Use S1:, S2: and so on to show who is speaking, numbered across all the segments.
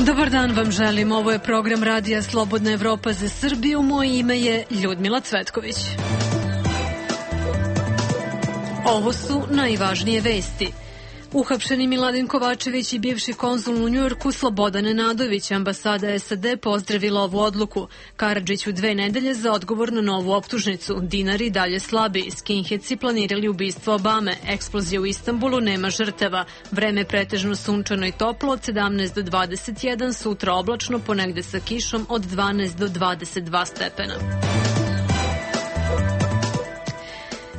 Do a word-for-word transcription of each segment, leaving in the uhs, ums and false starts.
S1: Dobar dan vam želim, ovo je program Radija Slobodna Evropa za Srbiju, moje ime je Ljudmila Cvetković. Ovo su najvažnije vesti. Uhapšeni Miladin Kovačević i bivši konzul u Njujorku Slobodan Nenadović, ambasada es a de pozdravila ovu odluku. Karadžić u dve nedelje za odgovor na novu optužnicu. Dinari dalje slabi. Skinheadsi planirali ubistvo Obame. Eksplozija u Istanbulu, nema žrtava. Vreme pretežno sunčano i toplo od sedamnaest do dvadeset jedan, sutra oblačno, ponegde sa kišom od dvanaest do dvadeset dva stepena.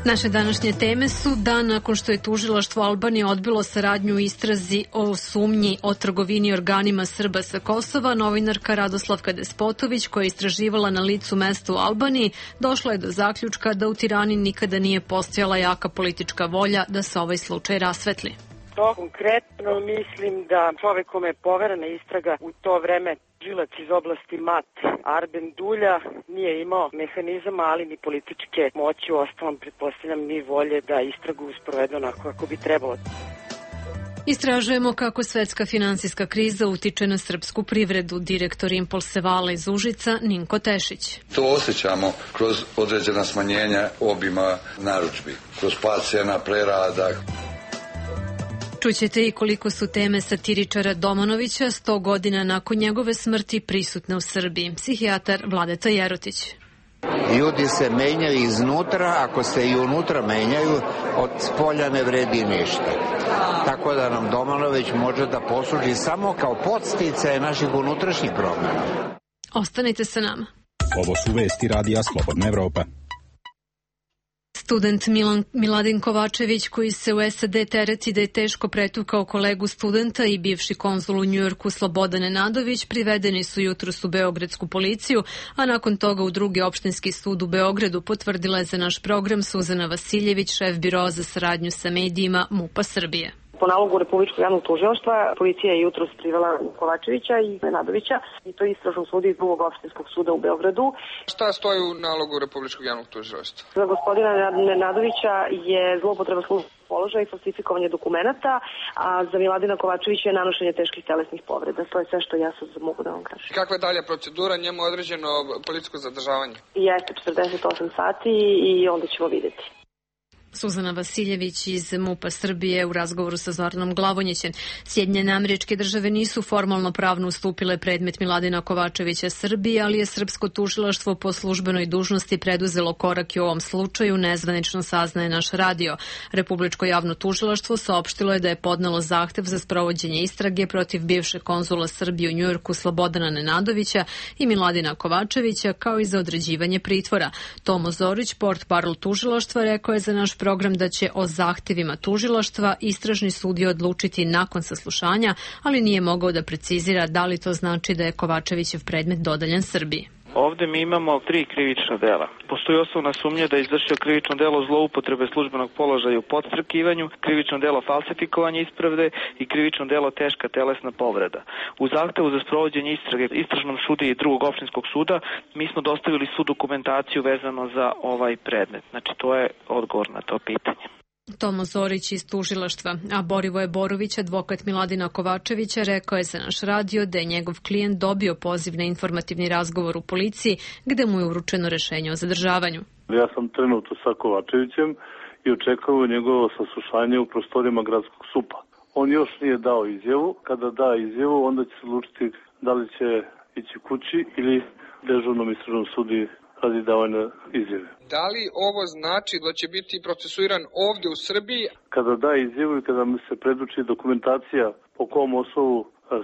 S1: Naše današnje teme su dan nakon što je tužilaštvo Albanije odbilo saradnju u istrazi o sumnji o trgovini organima Srba sa Kosova, novinarka Radoslavka Despotović, koja je istraživala na licu mesta u Albaniji, došla je do zaključka da u Tirani nikada nije postojala jaka politička volja da se ovaj slučaj rasvetli.
S2: To konkretno mislim da čovek kome je poverena istraga u to vreme, tužilac iz oblasti Mat, Arben Dulja, nije imao mehanizama, ali ni političke moći, u ostalom pretpostavljam ni volje da istragu sprovede onako kako bi trebalo.
S1: Istražujemo kako svetska finansijska kriza utiče na srpsku privredu. Direktor Impulse Vala iz Užica, Ninko Tešić.
S3: To osjećamo kroz određena smanjenja obima narudžbi, kroz pad cena prerada.
S1: Čućete i koliko su teme satiričara Domanovića sto godina nakon njegove smrti prisutne u Srbiji. Psihijatar Vladeta Jerotić.
S4: Ljudi se menjaju iznutra, ako se i unutra menjaju, od spolja ne vredi ništa. Tako da nam Domanović može da posluži samo kao podsticaj naših unutrašnjih promjena.
S1: Ostanite sa nama.
S5: Ovo su vesti Radija Slobodna Evropa.
S1: Student Milan, Miladin Kovačević, koji se u es a de tereti da je teško pretukao kolegu studenta, i bivši konzul u Njujorku Slobodan Nenadović privedeni su jutros u beogradsku policiju, a nakon toga u drugi opštinski sud u Beogradu, potvrdila je za naš program Suzana Vasiljević, šef biroa za saradnju sa medijima MUP-a Srbije.
S6: Po nalogu Republičkog javnog tužilaštva, policija je jutros privela Kovačevića i Nenadovića, i to istražnom sudu iz drugog opštinskog suda u Beogradu.
S7: Šta stoji u nalogu Republičkog javnog tužilaštva?
S6: Za gospodina Nenadovića je zloupotreba službenog položaja i falsifikovanje dokumenata, a za Miladina Kovačevića je nanošenje teških telesnih povreda. To je sve što ja sad mogu da vam kažem.
S7: Kakva je dalja procedura? Njemu je određeno policijsko zadržavanje?
S6: Jeste četrdeset osam sati i onda ćemo vidjeti.
S1: Suzana Vasiljević iz MUP-a Srbije u razgovoru sa Zoranom Glavonjićem. Sjedinjene Američke Države nisu formalno pravno ustupile predmet Miladina Kovačevića Srbiji, ali je srpsko tužilaštvo po službenoj dužnosti preduzelo korak i u ovom slučaju, nezvanično saznaje naš radio. Republičko javno tužilaštvo saopštilo je da je podnelo zahtev za sprovođenje istrage protiv bivšeg konzula Srbije u Njujorku Slobodana Nenadovića i Miladina Kovačevića, kao i za određivanje pritvora. Tomo Zorić, portparol tužilaštva, rekao je za naš program da će o zahtevima tužilaštva istražni sudija odlučiti nakon saslušanja, ali nije mogao da precizira da li to znači da je Kovačevićev predmet dodeljen Srbiji.
S8: Ovde mi imamo tri krivična dela. Postoji osnovna sumnja da je izvršio krivično delo zloupotrebe službenog položaja u podstrekivanju, krivično delo falsifikovanja isprave i krivično delo teška telesna povreda. U zahtevu za sprovođenje istrage istražnom sudu i drugog opštinskog suda mi smo dostavili svu dokumentaciju vezano za ovaj predmet. Znači, to je odgovor na to pitanje.
S1: Tomo Zorić iz tužilaštva, a Borivoje Borović, advokat Miladina Kovačevića, rekao je za naš radio da je njegov klijent dobio poziv na informativni razgovor u policiji, gde mu je uručeno rešenje o zadržavanju.
S9: Ja sam trenutno sa Kovačevićem i očekao njegovo saslušanje u prostorijama gradskog supa. On još nije dao izjavu. Kada da izjavu, onda će se odlučiti da li će ići kući ili dežurnom istražnom sudi radi davanja izjave.
S7: Da li ovo znači da će biti procesuiran ovdje u Srbiji?
S9: Kada da izjavu i kada mi se preduči dokumentacija po kom osnovu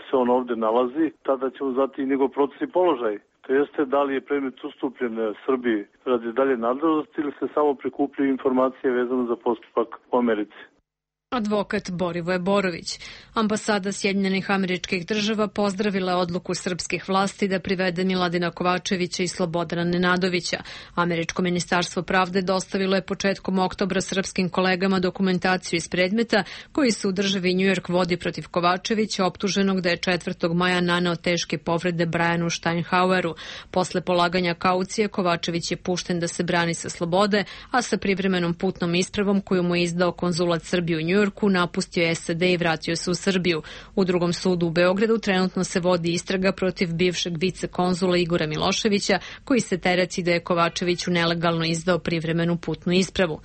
S9: se on ovdje nalazi, tada ćemo znati i njegov procesni položaj. To jeste da li je predmet ustupljen Srbiji radi dalje nadležnosti ili se samo prikupljaju informacije vezane za postupak u Americi.
S1: Advokat Borivoje Borović. Ambasada Sjedinjenih Američkih Država pozdravila odluku srpskih vlasti da privede Miladina Kovačevića i Slobodana Nenadovića. Američko ministarstvo pravde dostavilo je početkom oktobra srpskim kolegama dokumentaciju iz predmeta koji se u državi Njujork vodi protiv Kovačevića, optuženog da je četvrtog maja naneo teške povrede Brianu Steinhaueru. Posle polaganja kaucije, Kovačević je pušten da se brani sa slobode, a sa privremenom putnom ispravom koju mu je izdao konzulat Srbije u Njujorku Njujorku, napustio S A D i vratio se u Srbiju. U drugom sudu u Beogradu trenutno se vodi istraga protiv bivšeg vicekonzula Igora Miloševića, koji se tereti da je Kovačeviću nelegalno izdao privremenu putnu ispravu.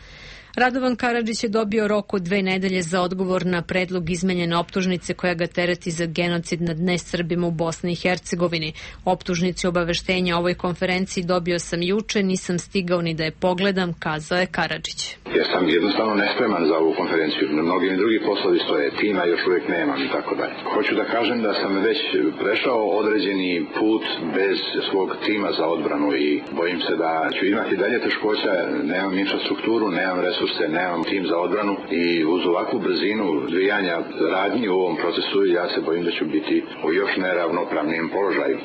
S1: Radovan Karadžić je dobio rok od dve nedelje za odgovor na predlog izmenjene optužnice koja ga tereti za genocid nad nesrbima u Bosni i Hercegovini. Optužnici obaveštenja o ovoj konferenciji dobio sam juče, nisam stigao ni da je pogledam, kazao je Karadžić.
S10: Ja sam jednostavno nespreman za ovu konferenciju. Mnogi i drugi poslovi stoje, tima još uvijek nemam i tako dalje. Hoću da kažem da sam već prešao određeni put bez svog tima za odbranu i bojim se da ću imati dalje teškoća, nemam infrastrukturu, nemam resurse, nemam tim za odbranu i uz ovakvu brzinu dvijanja radnji u ovom procesu ja se bojim da ću biti u još neravnopravnijem položaju.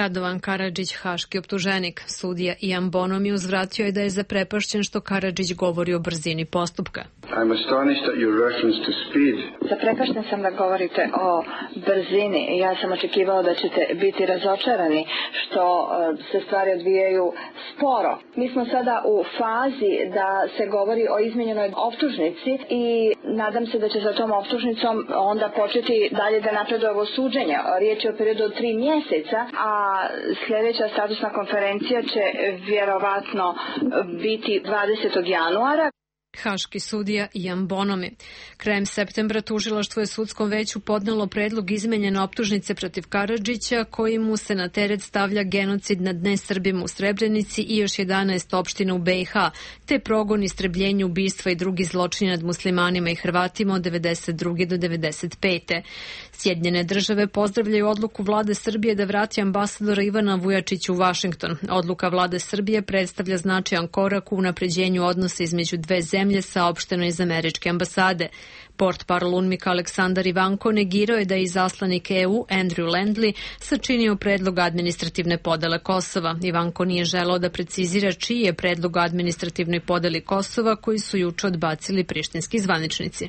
S1: Radovan Karadžić, haški optuženik. Sudija Ian Bonomi uzvratio je da je zaprepašćen što Karadžić govori o brzini postupka.
S11: Zaprepašten sam da govorite o brzini. Ja sam očekivao da ćete biti razočarani što se stvari odvijaju sporo. Mi smo sada u fazi da se govori o izmenjenoj optužnici i nadam se da će za tom optužnicom onda početi dalje da napreduje ovo suđenje. Riječ je o periodu od tri mjeseca, a sljedeća statusna konferencija će vjerovatno biti dvadesetog januara.
S1: Haški sudija Ian Bonomi. Krajem septembra tužilaštvo je sudskom veću podnelo predlog izmenjene optužnice protiv Karadžića, koji mu se na teret stavlja genocid nad nesrbima u Srebrenici i još jedanaest opština u B i H, te progon, istrebljenje, ubistva i drugi zločini nad muslimanima i Hrvatima od devedeset druge do devedeset pete Sjedinjene države pozdravljaju odluku vlade Srbije da vrati ambasadora Ivana Vujačića u Vašington. Odluka vlade Srbije predstavlja značajan korak u unapređenju odnosa između dve zemlje, saopšteno iz američke ambasade. Portparol UNMIK Aleksandar Ivanko negirao je da je izaslanik E U Andrew Landley sačinio predlog administrativne podele Kosova. Ivanko nije želeo da precizira čiji je predlog administrativnoj podeli Kosova, koji su juče odbacili prištinski zvaničnici.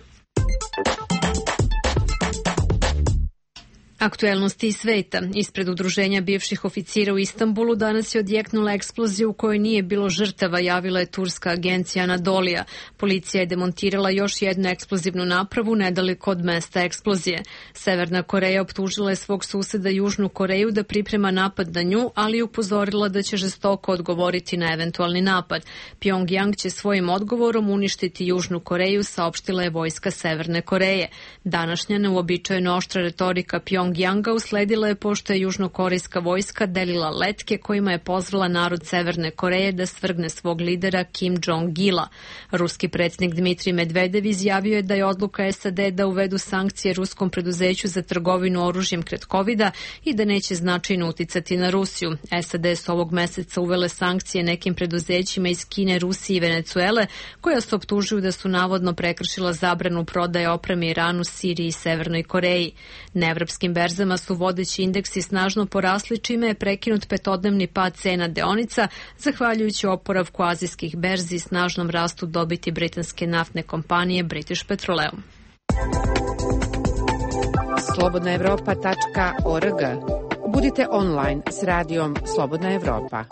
S1: Aktuelnosti iz sveta. Ispred udruženja bivših oficira u Istanbulu danas je odjeknula eksplozija u kojoj nije bilo žrtava, javila je turska agencija Anadolija. Policija je demontirala još jednu eksplozivnu napravu nedaleko od mesta eksplozije. Severna Koreja optužila je svog suseda Južnu Koreju da priprema napad na nju, ali je upozorila da će žestoko odgovoriti na eventualni napad. Pjongjang će svojim odgovorom uništiti Južnu Koreju, saopštila je vojska Severne Koreje. Današnja neuobičajeno oštra retorika Pjongjanga Janga usledila je pošto je južnokorejska vojska delila letke kojima je pozvala narod Severne Koreje da svrgne svog lidera Kim Jong-ila. Ruski predsjednik Dmitrij Medvedev izjavio je da je odluka S A D da uvedu sankcije ruskom preduzeću za trgovinu oružjem kred kovida i da neće značajno uticati na Rusiju. S A D su ovog meseca uvele sankcije nekim preduzećima iz Kine, Rusije i Venecuele, koja se optužuju da su navodno prekršila zabranu prodaje opreme Iranu, Siriji i Severnoj Koreji. Na evropskim berzama su vodeći indeksi snažno porasli, čime je prekinut petodnevni pad cena deonica, zahvaljujući oporavku azijskih berzi i snažnom rastu dobiti britanske naftne kompanije British Petroleum.
S12: slobodna evropa tačka org. Budite online s radijom Slobodna Evropa.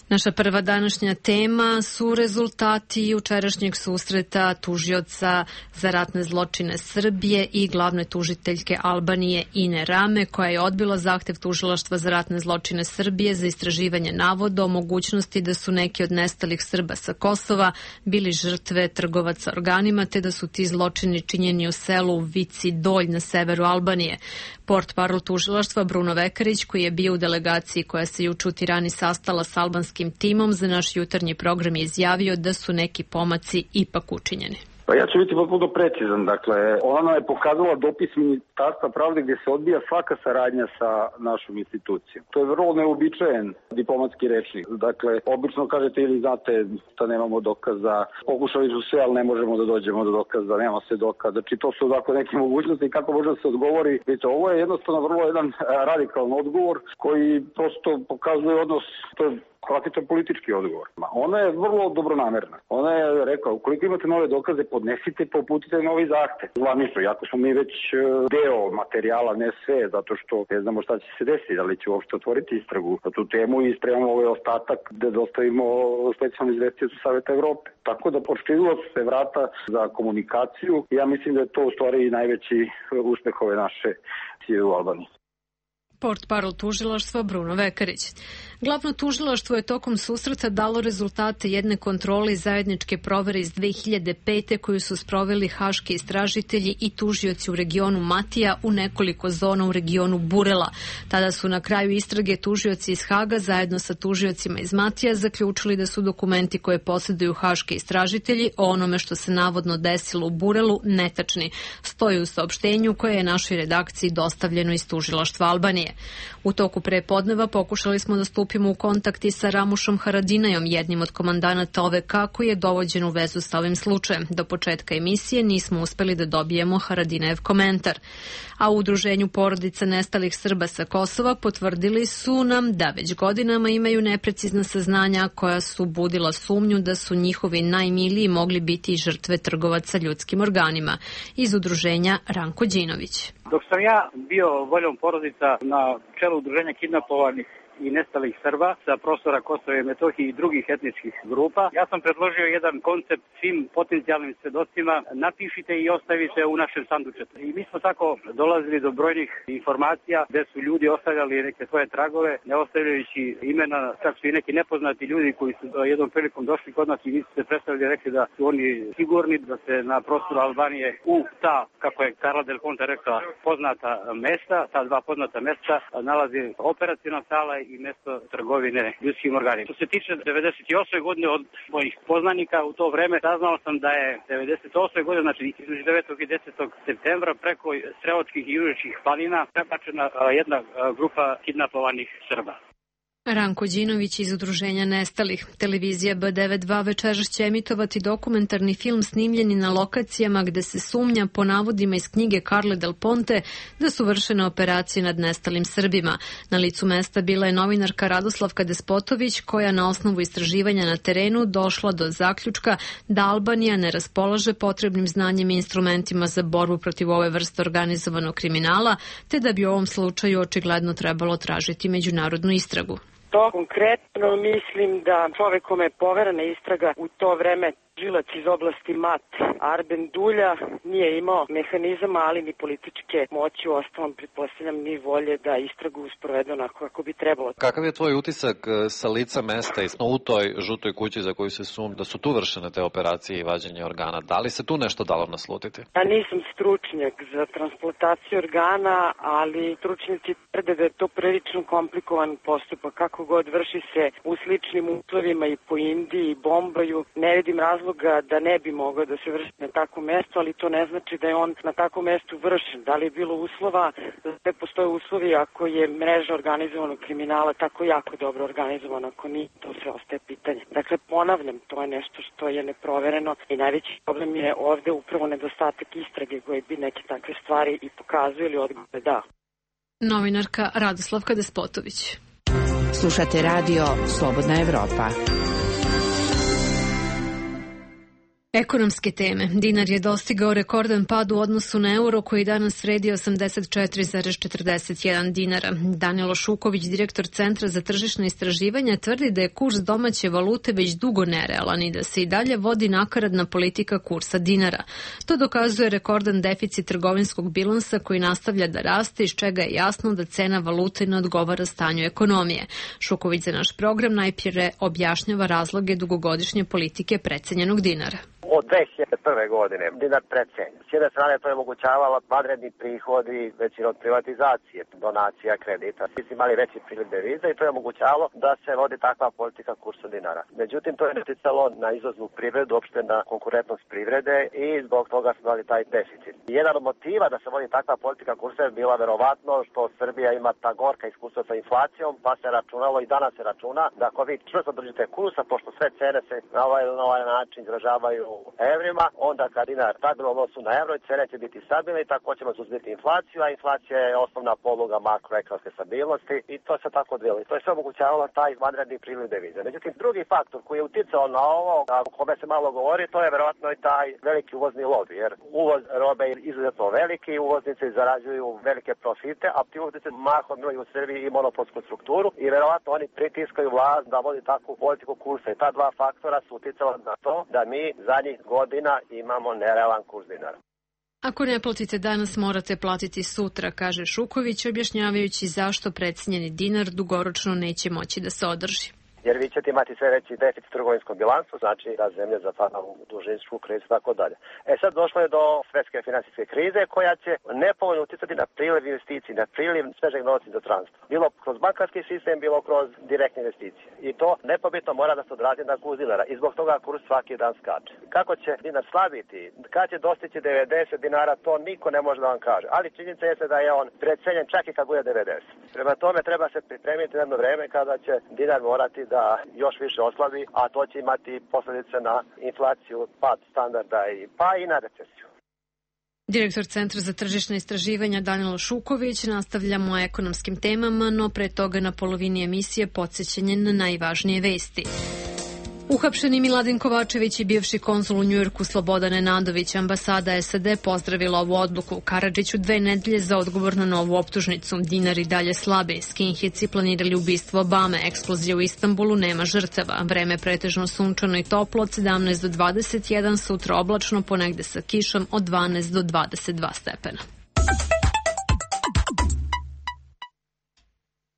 S1: Naša prva današnja tema su rezultati jučerašnjeg susreta tužioca za ratne zločine Srbije i glavne tužiteljke Albanije Ine Rame, koja je odbila zahtev tužilaštva za ratne zločine Srbije za istraživanje navoda o mogućnosti da su neki od nestalih Srba sa Kosova bili žrtve trgovaca organima, te da su ti zločini činjeni u selu Vici Dolj na severu Albanije. Portparol tužilaštva Bruno Vekarić, koji je bio u delegaciji koja se juče u Tirani sastala s albanskim timom za naš jutarnji program, je izjavio da su neki pomaci ipak učinjeni.
S13: Pa ja ću biti potpuno precizan. Dakle, ona je pokazala dopis Ministarstva pravde gdje se odbija svaka saradnja sa našom institucijom. To je vrlo neobičajen diplomatski rečnik. Dakle, obično kažete ili znate da nemamo dokaza, pokušali su sve, ali ne možemo da dođemo do dokaza, nema se dokaza. Znači, to su dakle neke mogućnosti kako može da se odgovori. Vidite, ovo je jednostavno vrlo jedan radikalan odgovor koji prosto pokazuje odnos, to je Kakvi to politički odgovor? Ona je vrlo dobronamerna. Ona je rekla, ukoliko imate nove dokaze, podnesite, poputite novi zahtev. Zvanično, jako smo mi već deo materijala, ne sve, zato što ne znamo šta će se desiti, da li će uopšte otvoriti istragu na tu temu i spremamo ovaj ostatak da dostavimo specijalnu izvestiocu Saveta Evrope. Tako da proširilo su se vrata za komunikaciju i ja mislim da je to u stvari najveći uspeh ove naše cije u Albaniji.
S1: Portparol tužilaštva Bruno Vekarić. Glavno tužilaštvo je tokom susreta dalo rezultate jedne kontrole i zajedničke provere iz dve hiljade pete koju su sproveli haški istražitelji i tužioci u regionu Matija u nekoliko zona u regionu Burela. Tada su na kraju istrage tužioci iz Haga zajedno sa tužiocima iz Matija zaključili da su dokumenti koje posjeduju haški istražitelji o onome što se navodno desilo u Burelu netačni. Stoji u saopštenju koje je našoj redakciji dostavljeno iz tužilaštva Albanije. U toku prepodneva pokušali smo da stupimo u kontakt i sa Ramušom Haradinajom, jednim od komandanata O V K koji je dovođen u vezu sa ovim slučajem. Do početka emisije nismo uspeli da dobijemo Haradinajev komentar. A u udruženju porodica nestalih Srba sa Kosova potvrdili su nam da već godinama imaju neprecizna saznanja koja su budila sumnju da su njihovi najmiliji mogli biti žrtve trgovaca ljudskim organima. Iz udruženja Ranko Đinović.
S14: Dok sam ja bio voljom porodica na čelu udruženja kidnapovanih i nestalih Srba sa prostora Kosova i Metohije i drugih etničkih grupa, ja sam predložio jedan koncept svim potencijalnim svedocima, napišite i ostavite u našem sandučetu. I mi smo tako dolazili do brojnih informacija gde su ljudi ostavljali neke svoje tragove, ne ostavljajući imena, čak su i neki nepoznati ljudi koji su jednom prilikom došli kod nas i nisu se predstavili i rekli da su oni sigurni da se na prostoru Albanije u ta, kako je Karla Del Ponte rekla, poznata mesta, ta dva poznata mesta, nalazi operacijna sala i mesto trgovine ljudskim organima. Što se tiče devedeset osme godine od mojih poznanika u to vreme, saznao sam da je devedeset osme godine, znači između devetog i desetog septembra, preko Sreočkih i Južničkih planina prebačena jedna grupa kidnapovanih Srba.
S1: Ranko Đinović iz udruženja nestalih. Televizija B devedeset dva večeras će emitovati dokumentarni film snimljeni na lokacijama gde se sumnja po navodima iz knjige Karle Del Ponte da su vršene operacije nad nestalim Srbima. Na licu mesta bila je novinarka Radoslavka Despotović koja na osnovu istraživanja na terenu došla do zaključka da Albanija ne raspolaže potrebnim znanjem i instrumentima za borbu protiv ove vrste organizovanog kriminala, te da bi u ovom slučaju očigledno trebalo tražiti međunarodnu istragu.
S2: To konkretno mislim da čovek kome je poverena istraga u to vreme žilac iz oblasti Mat, Arben Dulja, nije imao mehanizama, ali ni političke moći, u ostalom pretpostavljam ni volje da istragu sprovede onako kako bi trebalo.
S15: Kakav je tvoj utisak sa lica mesta i u toj žutoj kući za koju se sumnja da su tu vršene te operacije i vađenje organa? Da li se tu nešto dalo naslutiti?
S2: Ja nisam stručnjak za transplantaciju organa, ali stručnjaci tvrde da je to prilično komplikovan postupak. Kako god vrši se u sličnim uslovima i po Indiji i Bombaju, ne vidim razloga da ne bi mogao da se vrši na takvom mestu, ali to ne znači da je on na takvom mestu vršen. Da li je bilo uslova, da sve postoje uslovi ako je mreža organizovanog kriminala tako jako dobro organizovana, ako nije, to sve ostaje pitanje. Dakle, ponavljam, to je nešto što je neprovereno i najveći problem je ovde upravo nedostatak istrage koji bi neke takve stvari i pokazuju ili odgovore da.
S1: Novinarka Radoslavka Despotović.
S12: Slušate radio Slobodna Evropa.
S1: Ekonomske teme. Dinar je dostigao rekordan pad u odnosu na euro koji danas vredi osamdeset četiri zarez četrdeset jedan dinara. Danilo Šuković, direktor Centra za tržišna istraživanja, tvrdi da je kurs domaće valute već dugo nerealan i da se i dalje vodi nakaradna politika kursa dinara. To dokazuje rekordan deficit trgovinskog bilansa koji nastavlja da raste, iz čega je jasno da cena valute ne odgovara stanju ekonomije. Šuković za naš program najprije objašnjava razloge dugogodišnje politike precenjenog dinara.
S16: Od dve hiljade prve godine dinar precenjen. S jedne strane to je omogućavalo vanredni prihodi većina od privatizacije, donacija, kredita. Mi smo imali veći priliv deviza i to je omogućavalo da se vodi takva politika kursa dinara. Međutim, to je uticalo na izvoznu privredu, uopšte na konkurentnost privrede i zbog toga smo imali taj deficit. Jedan od motiva da se vodi takva politika kursa je bila verovatno što Srbija ima ta gorka iskustva sa inflacijom, pa se računalo i danas se računa da ako vi čvrsto držite kursa, pošto sve cene se na ovaj, na ovaj način izražavaju u evrima, onda kad dinar stabilno odnosu na evro, cene će biti stabilne i tako ćemo suzbiti inflaciju, a inflacija je osnovna poluga makroekonomske stabilnosti i to se tako odvijelo. I to je sve omogućavalo taj vanredni priliv devize. Međutim, drugi faktor koji je uticao na ovo, o kome se malo govori, to je verovatno i taj veliki uvozni lobi, jer uvoz robe je izuzetno veliki, uvoznici zarađuju velike profite, a ti uvoznici mahom imaju u Srbiji i monopolsku strukturu i verovatno oni pritiskaju vlast da vodi takvu politiku kursa. I ta dva faktora su uticala na to da mi zadnjih godina imamo nerealan kurs dinara.
S1: Ako ne platite danas, morate platiti sutra, kaže Šuković, objašnjavajući zašto precenjeni dinar dugoročno neće moći da se održi.
S16: Jer vi ćete imati sve veći deficit trgovinskom bilansu, znači da zemlje zapada u dužinsku krizu i tako dalje. E sad došlo je do svetske finansijske krize koja će nepovoljno uticati na priliv investicije, na priliv svežeg novca do transporta. Bilo kroz bankarski sistem, bilo kroz direktne investicije. I to nepobitno mora da se odrazi na kurs dinara i zbog toga kurs svaki dan skače. Kako će dinar slabiti, kad će dostići devedeset dinara, to niko ne može da vam kaže. Ali činjenica je da je on precenjen čak i kad bude devedeset. Prema tome treba se pripremiti jedno vreme kada će dinar morati da još više oslabi, a to će imati posljedice na inflaciju, pad standarda i pa i na recesiju.
S1: Direktor Centra za tržišna istraživanja Danilo Šuković, nastavljamo o ekonomskim temama, no pre toga na polovini emisije podsjećanje na najvažnije vesti. Uhapšeni Miladin Kovačević i bivši konzul u Njujorku Slobodan Nenadović, ambasada S A D pozdravila ovu odluku. Karadžiću dve nedelje za odgovor na novu optužnicu. Dinar i dalje slabe. Skinheadsi planirali ubistvo Obame. Eksplozija u Istanbulu, nema žrtava. Vreme pretežno sunčano i toplo od sedamnaest do dvadeset jedan, sutra oblačno, ponegde sa kišom od dvanaest do dvadeset dva stepena.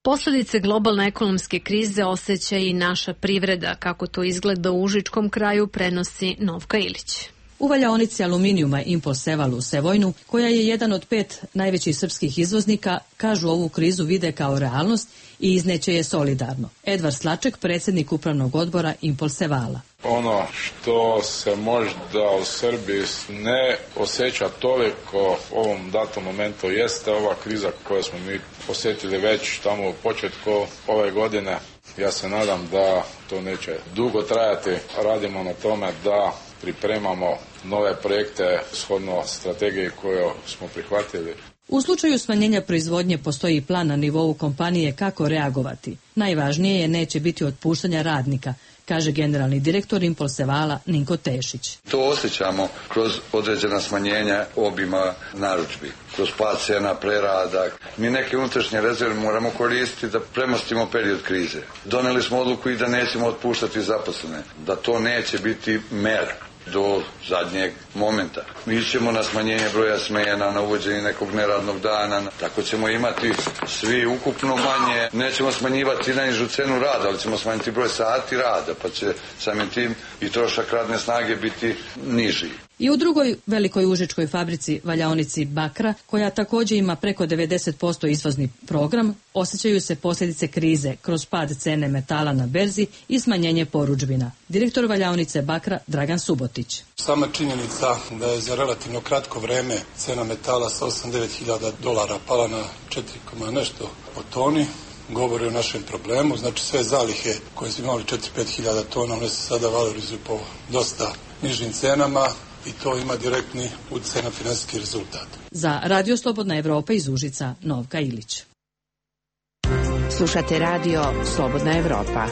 S1: Posledice globalne ekonomske krize osjeća i naša privreda. Kako to izgleda u užičkom kraju, prenosi Novka Ilić.
S17: U valjaonici aluminijuma Impol Seval u Sevojnu, koja je jedan od pet najvećih srpskih izvoznika, kažu ovu krizu vide kao realnost i izneće je solidarno. Edvard Slaček, predsjednik upravnog odbora Impol Sevala.
S18: Ono što se možda u Srbiji ne osjeća toliko u ovom datom momentu jeste ova kriza koju smo mi osjetili već tamo u početku ove godine. Ja se nadam da to neće dugo trajati. Radimo na tome da pripremamo nove projekte shodno strategiji koju smo prihvatili.
S17: U slučaju smanjenja proizvodnje postoji plan na nivou kompanije kako reagovati. Najvažnije je neće biti otpuštanja radnika, kaže generalni direktor Impol Sevala Ninko Tešić.
S3: To osjećamo kroz određena smanjenja obima narudžbi, kroz pad cena, prerada. Mi neke unutrašnje rezerve moramo koristiti da premostimo period krize. Doneli smo odluku i da nećemo otpuštati zaposlene, da to neće biti mera do zadnjeg momenta. Mi ćemo na smanjenje broja smena, na uvođenje nekog neradnog dana, tako ćemo imati svi ukupno manje. Nećemo smanjivati najnižu cenu rada, ali ćemo smanjiti broj sati rada, pa će samim tim i trošak radne snage biti niži.
S17: I u drugoj velikoj užičkoj fabrici, valjaonici Bakra, koja također ima preko devedeset posto izvozni program, osjećaju se posljedice krize kroz pad cene metala na berzi i smanjenje porudžbina. Direktor valjaonice Bakra Dragan Subotić.
S19: Sama činjenica da je za relativno kratko vreme cena metala sa osam do devet hiljada dolara pala na četiri nešto po toni, govori o našem problemu. Znači sve zalihe koje smo imali četiri do pet hiljada tona, one se sada valorizuju po dosta nižim cenama i to ima direktni utjecaj na finansijski rezultat.
S17: Za Radio Slobodna Evropa iz Užica, Novka Ilić.
S12: Slušate Radio Slobodna Evropa.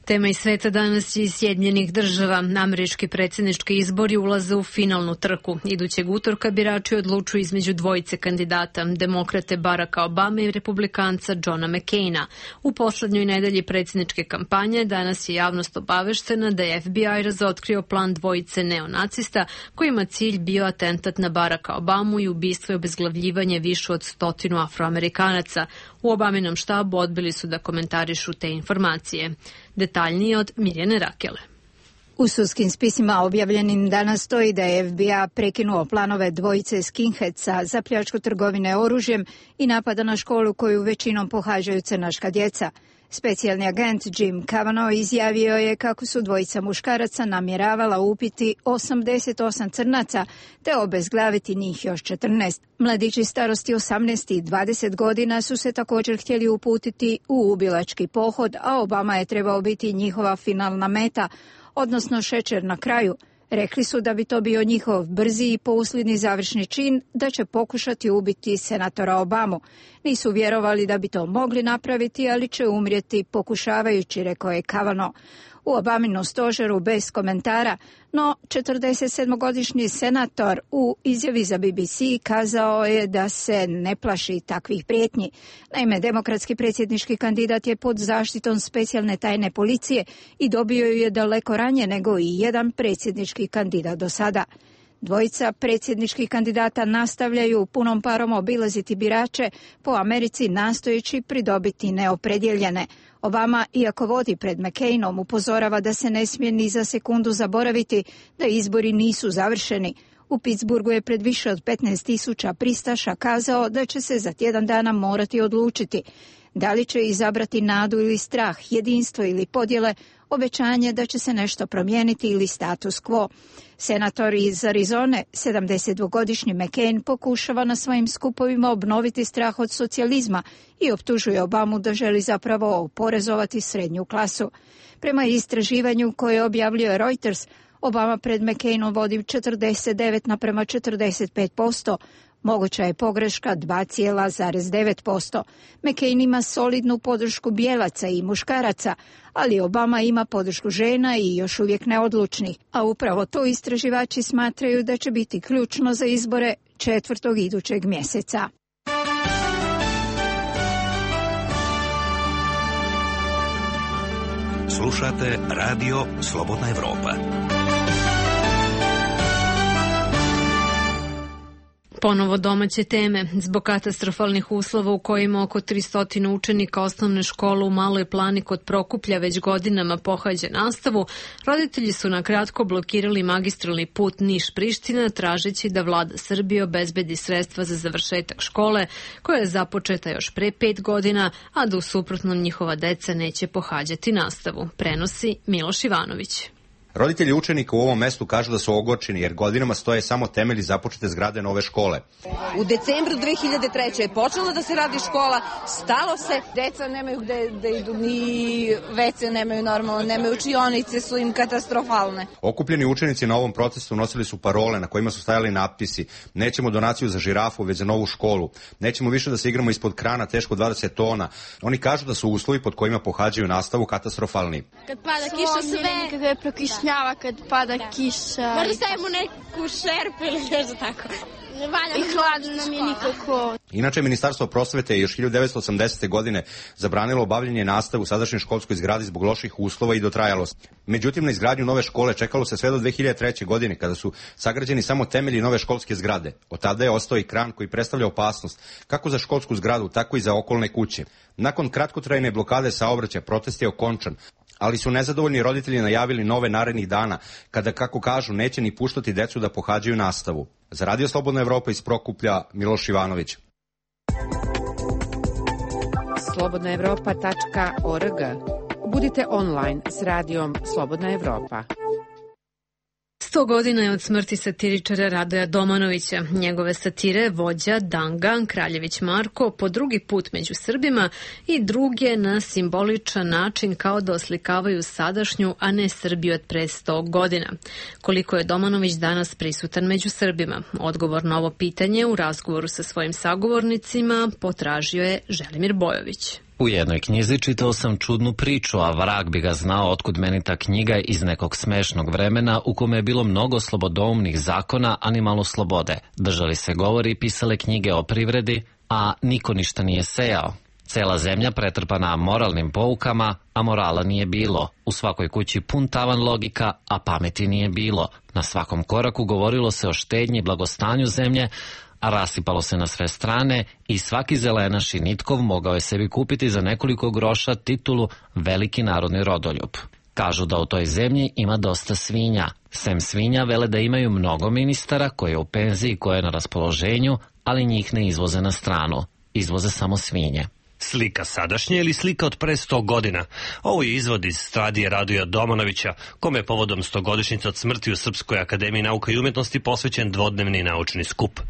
S1: Tema iz sveta danas je iz Sjedinjenih država. Američki predsjednički izbori ulaze u finalnu trku. Idućeg utorka birači odlučuju između dvojice kandidata, demokrate Baracka Obame i republikanca Johna McCaina. U poslednjoj nedelji predsjedničke kampanje danas je javnost obaveštena da je F B I razotkrio plan dvojice neonacista kojima cilj bio atentat na Baracka Obamu i ubistvo i obezglavljivanje više od stotinu Afroamerikanaca. U Obaminom štabu odbili su da komentarišu te informacije. Detaljnije od Mirjane Rakele.
S20: U sudskim spisima objavljenim danas stoji da je F B I prekinuo planove dvojice skinheadsa za pljačku trgovine oružjem i napada na školu koju većinom pohađaju crnaška djeca. Specijalni agent Jim Kavanaugh izjavio je kako su dvojica muškaraca namjeravala upiti osamdeset osam crnaca te obezglaviti njih još četrnaest. Mladići starosti osamnaest i dvadeset godina su se također htjeli uputiti u ubilački pohod, a Obama je trebao biti njihova finalna meta, odnosno šećer na kraju. Rekli su da bi to bio njihov brzi i pousljedni završni čin, da će pokušati ubiti senatora Obamu. Nisu vjerovali da bi to mogli napraviti, ali će umrijeti pokušavajući, rekao je Kavanaugh. U Obaminu stožeru bez komentara, no četrdesetsedmogodišnji senator u izjavi za B B C kazao je da se ne plaši takvih prijetnji. Naime, demokratski predsjednički kandidat je pod zaštitom specijalne tajne policije i dobio ju je daleko ranije nego i jedan predsjednički kandidat do sada. Dvojica predsjedničkih kandidata nastavljaju punom parom obilaziti birače po Americi nastojeći pridobiti neopredjeljene. Obama, iako vodi pred McCainom, upozorava da se ne smije ni za sekundu zaboraviti da izbori nisu završeni. U Pittsburghu je pred više od petnaest tisuća pristaša kazao da će se za tjedan dana morati odlučiti. Da li će izabrati nadu ili strah, jedinstvo ili podjele, obećanje da će se nešto promijeniti ili status quo. Senator iz Arizone, sedamdesetdvogodišnji McCain, pokušava na svojim skupovima obnoviti strah od socijalizma i optužuje Obamu da želi zapravo oporezovati srednju klasu. Prema istraživanju koje objavljuje Reuters, Obama pred McCainom vodi četrdeset devet naprema četrdeset pet posto. Moguća je pogreška dva zarez devet posto. McCain ima solidnu podršku bijelaca i muškaraca, ali Obama ima podršku žena i još uvijek neodlučnih. A upravo to istraživači smatraju da će biti ključno za izbore četvrtog idućeg mjeseca.
S21: Slušate Radio Slobodna Evropa.
S1: Ponovo domaće teme. Zbog katastrofalnih uslova u kojima oko tristo učenika osnovne škole u Maloj Plani kod Prokuplja već godinama pohađa nastavu, roditelji su na kratko blokirali magistralni put Niš-Priština tražeći da vlada Srbije obezbedi sredstva za završetak škole koja je započeta još pre pet godina, a da u suprotnom njihova deca neće pohađati nastavu. Prenosi Miloš Ivanović.
S22: Roditelji učenika u ovom mestu kažu da su ogorčeni jer godinama stoje samo temelji započete zgrade nove škole.
S23: U decembru dve hiljade treće. je počela da se radi škola, stalo se, deca nemaju gde da idu, ni vece nemaju normalno, nemaju učionice, su im katastrofalne.
S22: Okupljeni učenici na ovom protestu nosili su parole na kojima su stajali napisi: nećemo donaciju za žirafu, već za novu školu, nećemo više da se igramo ispod krana teško dvadeset tona. Oni kažu da su uslovi pod kojima pohađaju nastavu katastrofalni.
S24: Kad pada kiša sve, kako je prokišnjava kad pada kiša. Možda stavimo neku šerpu ili nešto tako. I hladno nam je nikako.
S22: Inače, Ministarstvo prosvete je još hiljadu devetsto osamdesete. godine zabranilo obavljanje nastave u sadašnjoj školskoj zgradi zbog loših uslova i dotrajalosti. Međutim, na izgradnju nove škole čekalo se sve do dve hiljade treće. godine, kada su sagrađeni samo temelji nove školske zgrade. Od tada je ostao i kran koji predstavlja opasnost kako za školsku zgradu, tako i za okolne kuće. Nakon kratkotrajne blokade saobraćaja, protest je okončan, ali su nezadovoljni roditelji najavili nove narednih dana, kada, kako kažu, neće ni puštati decu da pohađaju nastavu. Za Radio Slobodna Evropa iz Prokuplja, Miloš Ivanović.
S12: slobodna evropa tačka org. Budite online s radijom Slobodna Evropa.
S1: Sto godina je od smrti satiričara Radoja Domanovića. Njegove satire vođa Danga, Kraljević Marko, po drugi put među Srbima i druge na simboličan način kao da oslikavaju sadašnju, a ne Srbiju od pre sto godina. Koliko je Domanović danas prisutan među Srbima? Odgovor na ovo pitanje u razgovoru sa svojim sagovornicima potražio je Želimir Bojović.
S25: U jednoj knjizi čitao sam čudnu priču, a vrag bi ga znao otkud meni ta knjiga iz nekog smešnog vremena u kome je bilo mnogo slobodoumnih zakona, a ni malo slobode. Držali se govori i pisale knjige o privredi, a niko ništa nije sejao. Cela zemlja pretrpana moralnim poukama, a morala nije bilo. U svakoj kući pun tavan logika, a pameti nije bilo. Na svakom koraku govorilo se o štednji i blagostanju zemlje, a rasipalo se na sve strane i svaki zelenaš i nitkov mogao je sebi kupiti za nekoliko groša titulu veliki narodni rodoljub. Kažu da u toj zemlji ima dosta svinja. Sem svinja vele da imaju mnogo ministara koji je u penziji, koje je na raspoloženju, ali njih ne izvoze na stranu. Izvoze samo svinje.
S4: Slika sadašnje ili slika od pre sto godina? Ovo je izvod iz Stradije Radoja Domanovića, kome je povodom stogodišnjice od smrti u Srpskoj akademiji nauka i umetnosti posvećen dvodnevni naučni skup.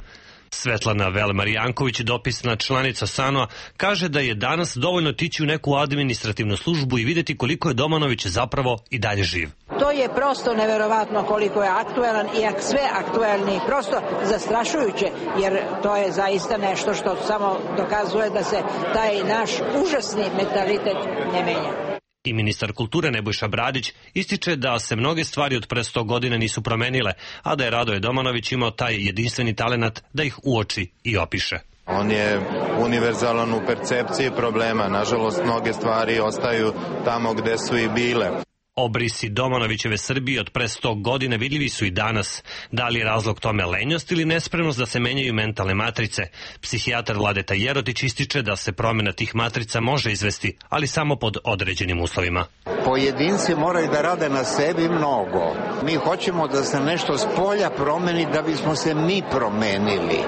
S4: Svetlana Velemarijanković, dopisna članica S A N O-a, kaže da je danas dovoljno tići u neku administrativnu službu i vidjeti koliko je Domanović zapravo i dalje živ.
S5: To je prosto neverovatno koliko je aktuelan i sve aktuelni, prosto zastrašujuće, jer to je zaista nešto što samo dokazuje da se taj naš užasni mentalitet ne menja.
S4: I ministar kulture Nebojša Bradić ističe da se mnoge stvari od pre sto godina nisu promenile, a da je Radoje Domanović imao taj jedinstveni talenat da ih uoči i opiše.
S6: On je univerzalan u percepciji problema. Nažalost, mnoge stvari ostaju tamo gde su i bile.
S4: Obrisi Domanovićeve Srbije od pre sto godina vidljivi su i danas. Da li je razlog tome lenjost ili nespremnost da se menjaju mentalne matrice? Psihijatar Vladeta Jerotić ističe da se promjena tih matrica može izvesti, ali samo pod određenim uslovima.
S7: Pojedinci moraju da rade na sebi mnogo. Mi hoćemo da se nešto s polja promeni da bismo se mi promenili.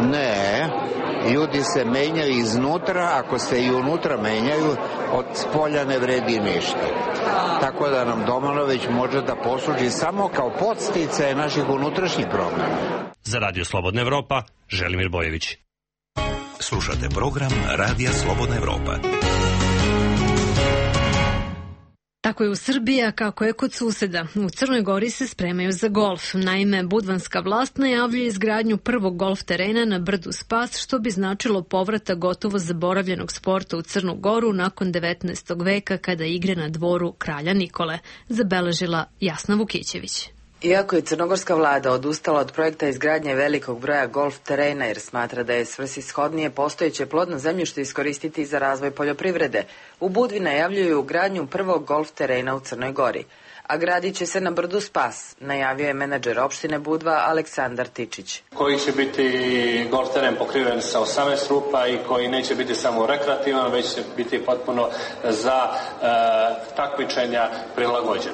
S7: Ne, ljudi se menjaju iznutra, ako se i unutra menjaju, od spolja ne vredi ništa. Tako da nam Domanović može da posluži samo kao podsticaj naših unutrašnjih promjena.
S4: Za Radio Slobodna Evropa, Želimir Bojević.
S21: Slušate program Radija Slobodna Evropa.
S1: Tako je u Srbiji, a kako je kod suseda. U Crnoj Gori se spremaju za golf. Naime, budvanska vlast najavljuje izgradnju prvog golf terena na brdu Spas, što bi značilo povrata gotovo zaboravljenog sporta u Crnu Goru nakon devetnaestog veka kada je igre na dvoru kralja Nikole, zabeležila Jasna Vukićević.
S8: Iako je crnogorska vlada odustala od projekta izgradnje velikog broja golf terena jer smatra da je svrsishodnije postojeće plodno zemljište iskoristiti za razvoj poljoprivrede, u Budvi najavljuju gradnju prvog golf terena u Crnoj Gori. A gradit će se na brdu Spas, najavio je menadžer opštine Budva Aleksandar Tičić.
S26: Koji će biti golf teren pokriven sa osamnaest rupa i koji neće biti samo rekreativan, već će biti potpuno za e, takmičenja prilagođen.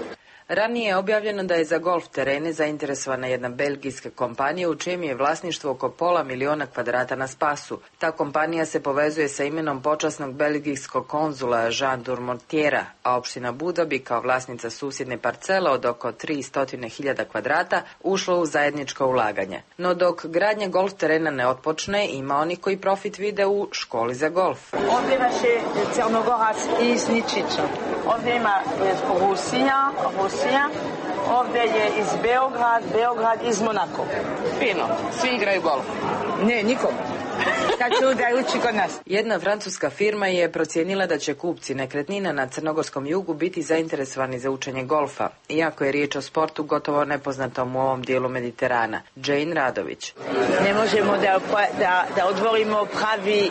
S8: Ranije je objavljeno da je za golf terene zainteresovana jedna belgijska kompanija u čijem je vlasništvo oko pola miliona kvadrata na Spasu. Ta kompanija se povezuje sa imenom počasnog belgijskog konzula Jean Durmontiera, a opština Budva bi kao vlasnica susjedne parcele od oko tristo hiljada kvadrata ušla u zajedničko ulaganje. No dok gradnja golf terena ne otpočne, ima oni koji profit vide u školi za golf.
S27: Ovdje imaš je Crnogorac iz Ničića. Ovdje ima Rusinja, Rusinja. Ovdje je iz Beograd, Beograd iz Monako. Fino, svi igraju golf. Ne, nikom. Kad će da uči kod nas.
S8: Jedna francuska firma je procijenila da će kupci nekretnina na crnogorskom jugu biti zainteresovani za učenje golfa, iako je riječ o sportu gotovo nepoznatom u ovom dijelu Mediterana. Jane Radović.
S27: Ne možemo da, da, da odvorimo pravi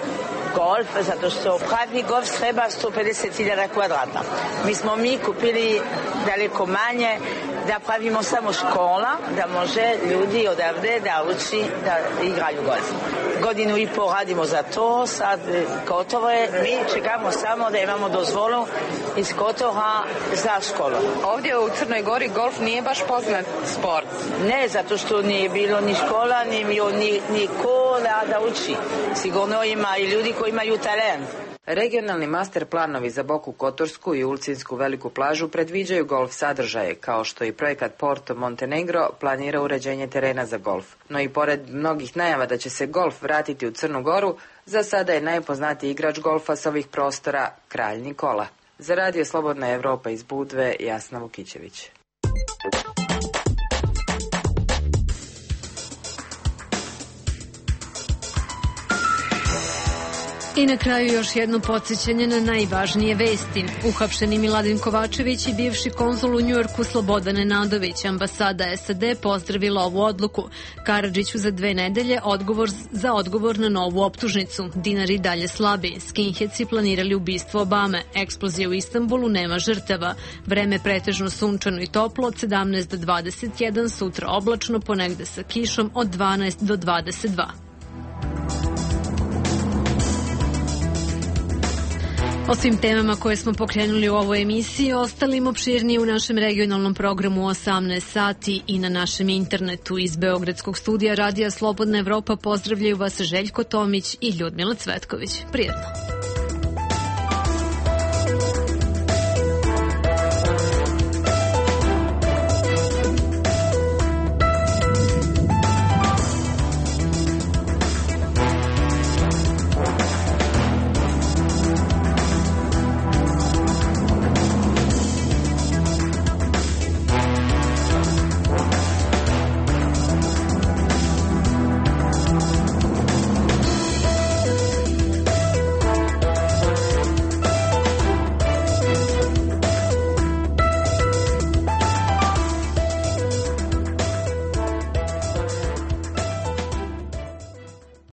S27: golf, zato što pravi golf treba sto pedeset hiljada kvadrata. Mi smo mi kupili daleko manje, da pravimo samo škola, da može ljudi odavde da uči da igraju golf. Godinu i po radimo za to, sad gotovo je, mi čekamo samo da imamo dozvolu iz Kotora za školu.
S8: Ovdje u Crnoj Gori golf nije baš poznat sport.
S27: Ne, zato što nije bilo ni škola, ni, ni, ni ko da, da uči. Sigurno ima i ljudi koji imaju talent.
S8: Regionalni master planovi za Boku Kotorsku i Ulcinsku veliku plažu predviđaju golf sadržaje, kao što i projekat Porto Montenegro planira uređenje terena za golf. No i pored mnogih najava da će se golf vratiti u Crnu Goru, za sada je najpoznatiji igrač golfa s ovih prostora Kralj Nikola. Za Radio Slobodna Evropa iz Budve, Jasna Vukićević.
S1: I na kraju još jedno podsjećanje na najvažnije vesti. Uhapšeni Miladin Kovačević i bivši konzul u Njujorku Slobodan Nenadović, ambasada S A D pozdravila ovu odluku. Karadžiću za dve nedelje odgovor za odgovor na novu optužnicu. Dinar i dalje slabi. Skinheadsi planirali ubistvo Obame. Eksplozija u Istanbulu, nema žrtava. Vreme pretežno sunčano i toplo od sedamnaest do dvadeset jedan, sutra oblačno, ponegde sa kišom od dvanaest do dvadeset dva. O svim temama koje smo pokrenuli u ovoj emisiji, ostalim opširnije u našem regionalnom programu u osamnaest sati i na našem internetu. Iz Beogradskog studija Radija Slobodna Evropa pozdravljaju vas Željko Tomić i Ljudmila Cvetković. Prijetno!